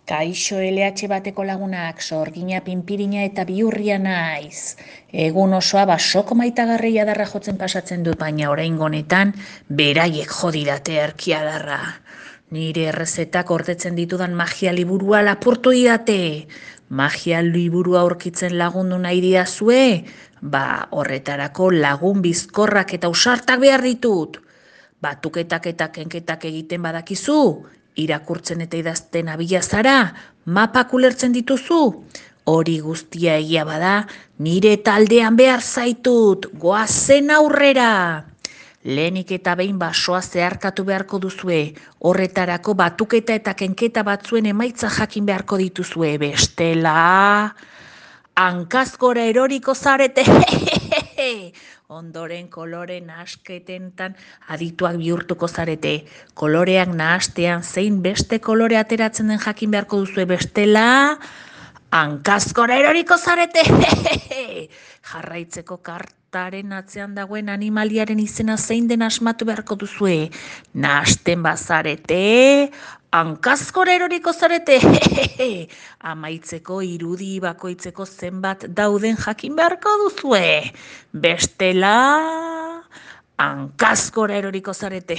Kaixo LH bateko lagunak, sorgina, pinpirina eta bihurria naiz. Egun osoa basoko maitagarria darra jotzen pasatzen dut, baina oraingo honetan beraiek jodidate erkiadarra. Nire errezetak ordetzen ditudan magia liburua lapurtu didate. Magia liburua aurkitzen lagundu nahi diazue? Ba, horretarako lagun bizkorrak eta ausartak behar ditut. Batuketak eta kenketak egiten badakizu, irakurtzen eta idazten abila zara, mapak ulertzen dituzu. Hori guztia egia bada, nire taldean behar zaitut, goazen aurrera. Lehenik eta behin basoa zeharkatu beharko duzue, horretarako batuketa eta kenketa batzuen emaitza jakin beharko dituzue, bestela hankazgora eroriko zarete. Ondoren kolore nahasketentan adituak bihurtuko zarete. Koloreak nahastean zein beste kolore ateratzen den jakin beharko duzue, bestela hankazgora eroriko zarete. Jarraitzeko kartaren atzean dagoen animaliaren izena zein den asmatu beharko duzue. Nahasten bazarete, hankazgora eroriko zarete. Amaitzeko irudi bakoitzeko zenbat dauden jakin beharko duzue. Bestela hankazgora eroriko zarete.